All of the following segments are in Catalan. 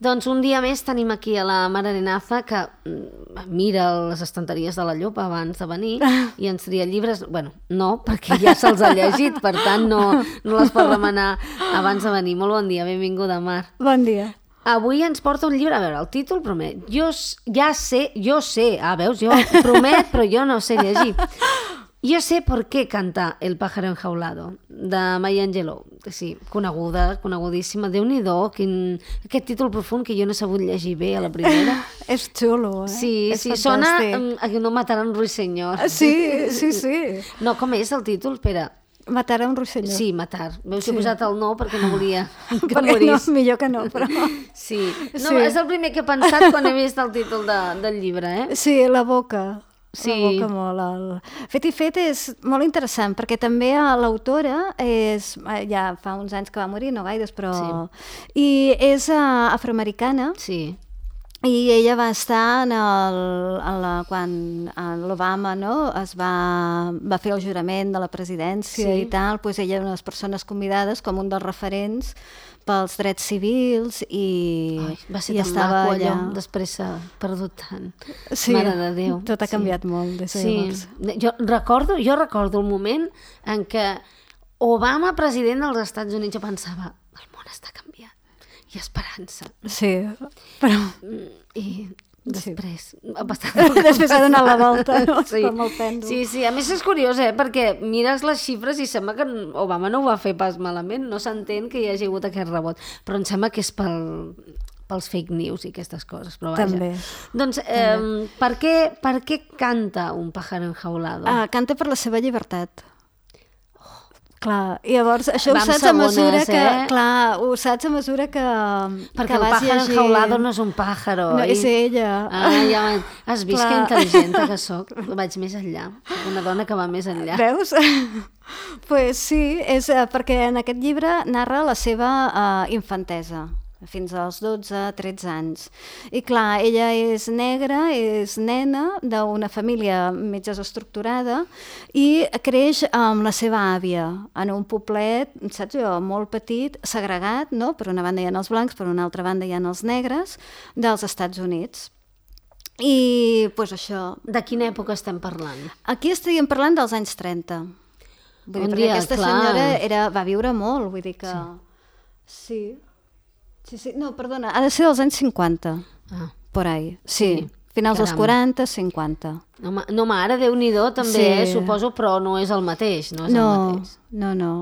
Doncs un dia més tenim aquí a la Mar Arenaza que mira les estanteries de la Llop abans de venir i ens tria llibres. Bueno, no, perquè ja se'ls ha llegit, per tant no les pot remenar abans de venir. Molt bon dia, benvinguda, Mar. Bon dia. Avui ens porta un llibre, a veure, el títol promet. Jo sé, veus, jo promet, però jo no sé llegir. Yo sé por qué canta El pájaro enjaulado, de Maya Angelou. Sí, conegudíssima. Déu-n'hi-do, aquest títol profund que jo no he sabut llegir bé a la primera. És xulo, eh? Sí, sona a que no mataran un ruiseñor. Sí. No, com és el títol? Espera. Matar a un ruiseñor. Sí, matar. Veus, he posat el no perquè no volia que perquè morís. No, millor que no, però... Sí. No, és el primer que he pensat quan he vist el títol del llibre, eh? Sí, la boca. Sí. La boca molt. Fet i fet és molt interessant, perquè també l'autora ja fa uns anys que va morir, no gaires, però... Sí. I és afroamericana. Sí. I ella va estar quan l'Obama, no, va fer el jurament de la presidència, sí. I tal, doncs ella era una de les persones convidades com un dels referents pels drets civils i va ser tan maco allò, després s'ha perdut tant. Sí, Mare de Déu. Tot ha canviat molt des de llavors. Jo recordo el moment en què Obama, president dels Estats Units, jo pensava, el món està canviant. I esperança. Sí, però... I després... Sí. Després ha donat la volta, no? Sí. Com el pèndol. Sí. A més és curiós, perquè mires les xifres i sembla que Obama no ho va fer pas malament, no s'entén que hi hagi hagut aquest rebot, però em sembla que és pels fake news i aquestes coses, però vaja. També. Doncs, per què canta Un pájaro enjaulado? Canta per la seva llibertat. Clar, i llavors això ho saps a mesura que... Clar, ho saps a mesura que perquè el pájaro enjaulado no és un pájaro. No, és ella. Ja has vist que intel·ligent que soc? Vaig més enllà. Una dona que va més enllà. Veus? Pues sí, és perquè en aquest llibre narra la seva infantesa, fins als 12-13 anys. I clar, ella és negra, és nena d'una família mig desestructurada i creix amb la seva àvia en un poblet, saps jo, molt petit, segregat, no? Per una banda hi ha els blancs, per una altra banda hi ha els negres, dels Estats Units. I doncs això... De quina època estem parlant? Aquí estaríem parlant dels anys 30. Vull dir, perquè aquesta senyora va viure molt, vull dir que... Sí. Sí, no, perdona, ha de ser dels anys 50, por ahí, sí. Finals dels 40, 50. No, mare, Déu-n'hi-do també, suposo, però no és el mateix, no és el mateix. No.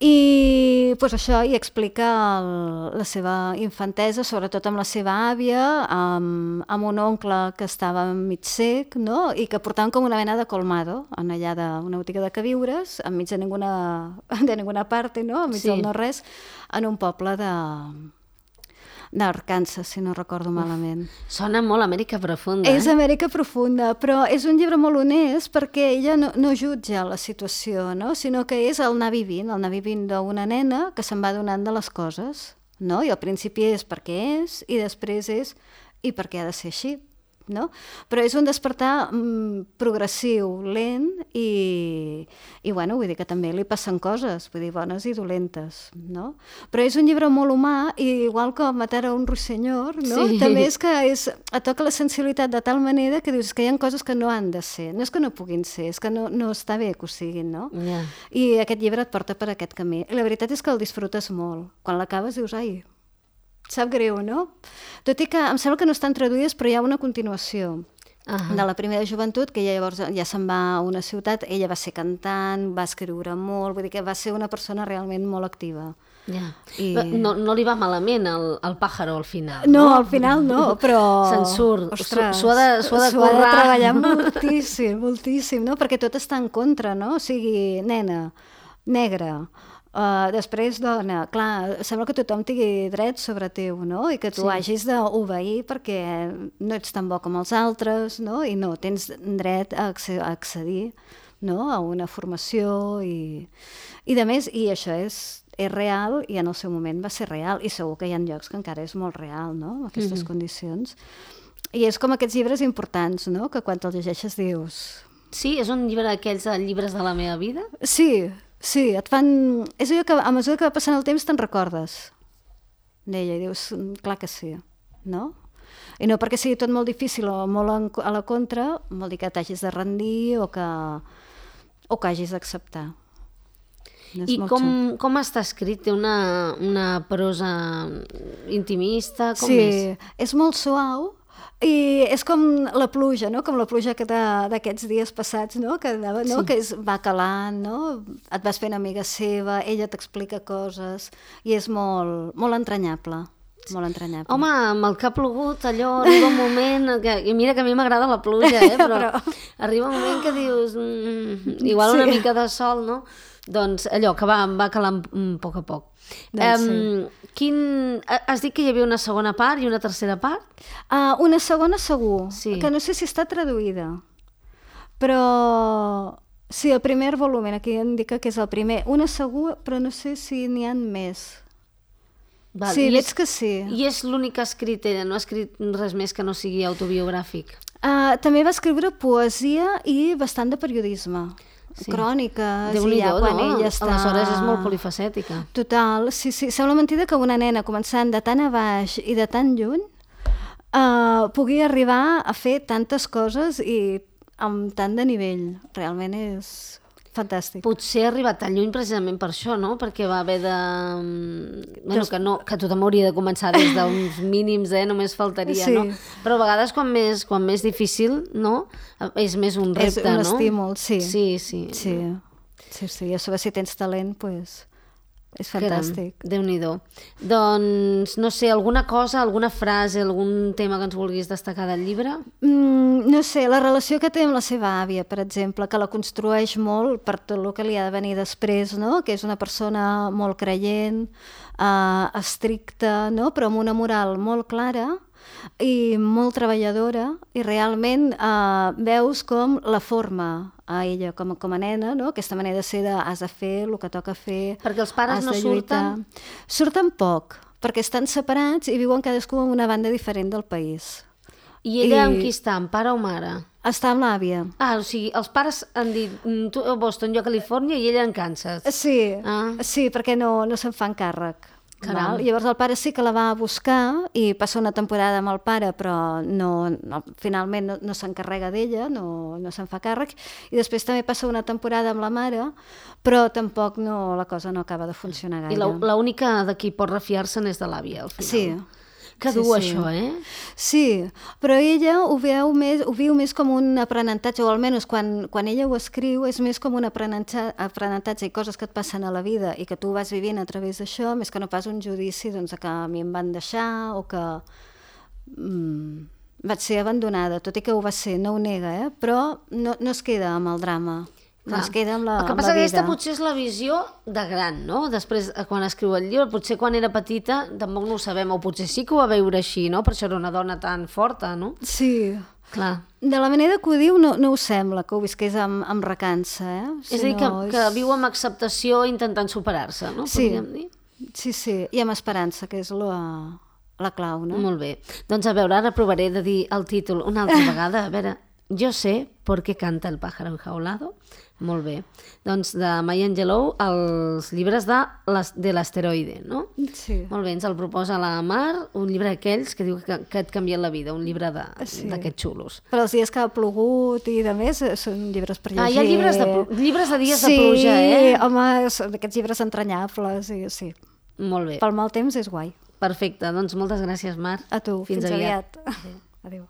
I doncs això, i explica la seva infantesa, sobretot amb la seva àvia, amb un oncle que estava mig cec, no? I que portaven com una mena de colmado, allà d'una botiga de queviures, enmig de ninguna parte, no? Enmig del no-res, en un poble d'Arkansas, si no recordo malament. Sona molt Amèrica Profunda. És Amèrica Profunda, però és un llibre molt honest perquè ella no jutja la situació, no? Sinó que és el anar vivint d'una nena que se'n va donant de les coses, no? I al principi és perquè és, i després és i perquè ha de ser així, no? Però és un despertar progressiu, lent i bueno, vull dir que també li passen coses, vull dir, bones i dolentes, no? Però és un llibre molt humà i igual que Matar a un ruiseñor, no? Sí. També és que et toca la sensibilitat de tal manera que dius que hi ha coses que no han de ser, no és que no puguin ser, és que no està bé que ho siguin, no? Yeah. I aquest llibre et porta per aquest camí. I la veritat és que el disfrutes molt. Quan l'acabes dius, ai, sap greu, no? Tot i que em sembla que no estan traduïdes, però hi ha una continuació de la primera joventut, que ella llavors ja se'n va a una ciutat, ella va ser cantant, va escriure molt, vull dir que va ser una persona realment molt activa. Ja. No li va malament el pájaro al final, no? No, al final no, però... Se'n surt, s'ho ha de treballar moltíssim, no? Perquè tot està en contra, no? O sigui, nena, negra, després dona, clar, sembla que tothom tingui dret sobre teu, no? I que tu hagis d'obeir perquè no ets tan bo com els altres, no? I no, tens dret a accedir, no? A una formació i de més, i això és real i en el seu moment va ser real i segur que hi ha llocs que encara és molt real, no? Aquestes condicions. I és com aquests llibres importants, no? Que quan te'ls llegeixes dius... Sí? És un llibre d'aquells llibres de la meva vida? Sí, et fan... És allò que a mesura que va passant el temps te'n recordes. deia, i dius, clar que sí, no? I no perquè sigui tot molt difícil o molt a la contra, vol dir que t'hagis de rendir o que hagis d'acceptar. I com està escrit? Té una prosa intimista? Com és? És molt suau i és com la pluja, no? Com la pluja d'aquests dies passats, no? Que va calant, no? Et vas fent amiga seva, ella t'explica coses i és molt, molt entranyable. Molt entranyable. Home, amb el que ha plogut, allò arriba un moment i mira que a mi m'agrada la pluja, però arriba un moment que dius igual una mica de sol, no? Doncs allò que va calant a poc. Has dit que hi havia una segona part i una tercera part? Una segona segur, que no sé si està traduïda, però sí, el primer volum, aquí indica que és el primer. Una segur, però no sé si n'hi ha més. Sí, veig que sí. I és l'únic que ha escrit ella, no ha escrit res més que no sigui autobiogràfic? També va escriure poesia i bastant de periodisme. Cròniques, i ja quan ella està... Aleshores és molt polifacètica. Total, sí. Sembla mentida que una nena començant de tan a baix i de tan lluny pugui arribar a fer tantes coses i amb tant de nivell. Realment és fantàstic. Potser ha arribat tan lluny precisament per això, no? Perquè va haver de... Bueno, que tothom hauria de començar des d'uns mínims, només faltaria, no? Però a vegades quan més difícil, no? És més un repte, no? És un estímul, sí. Sí. I a sobre si tens talent, doncs és fantàstic. Déu-n'hi-do. Doncs, no sé, alguna cosa, alguna frase, algun tema que ens vulguis destacar del llibre? No sé, la relació que té amb la seva àvia, per exemple, que la construeix molt per tot el que li ha de venir després, no? Que és una persona molt creient, estricta, no? Però amb una moral molt clara i molt treballadora, i realment veus com la forma a ella com a nena, no? Aquesta manera de ser has de fer el que toca fer, perquè els pares no surten? Surten poc, perquè estan separats i viuen cadascú en una banda diferent del país. I ella amb qui està, amb pare o mare? Està amb l'àvia. O sigui, els pares han dit tu a Boston, jo a Califòrnia, i ella en Kansas. Sí, perquè no se'n fan càrrec. Val? Llavors el pare sí que la va a buscar i passa una temporada amb el pare, però finalment no s'encarrega d'ella, no se'n fa càrrec, i després també passa una temporada amb la mare, però tampoc la cosa no acaba de funcionar gaire. I l'única de qui pot refiar-se'n és de l'àvia, al final. Sí. Que dur això, Sí, però ella ho viu més com un aprenentatge, o almenys quan ella ho escriu és més com un aprenentatge i coses que et passen a la vida i que tu vas vivint a través d'això, més que no pas un judici que a mi em van deixar o que vaig ser abandonada, tot i que ho va ser, no ho nega, però no es queda amb el drama. No es queda amb la vida. El que passa que aquesta potser és la visió de gran, no? Després, quan escriu el llibre, potser quan era petita tampoc no ho sabem, o potser sí que ho va veure així, no? Per això era una dona tan forta, no? Sí. Clar. De la manera que ho diu no ho sembla, que ho visqués amb recança, És a dir, que viu amb acceptació intentant superar-se, no? Podríem dir? Sí, i amb esperança, que és la clau, no? Molt bé. Doncs a veure, ara provaré de dir el títol una altra vegada. A veure, Yo sé por qué canta el pájaro enjaulado. Molt bé. Doncs de Maya Angelou, els llibres de l'asteroide, no? Sí. Molt bé, ens el proposa la Mar, un llibre d'aquells que diu que et canvien la vida, un llibre d'aquests xulos. Però els dies que ha plogut i de més són llibres per llegir. Hi ha llibres de dies de pluja, Sí, home, són aquests llibres entranyables, sí. Molt bé. Pel mal temps és guai. Perfecte, doncs moltes gràcies, Mar. A tu, fins aviat. Adéu.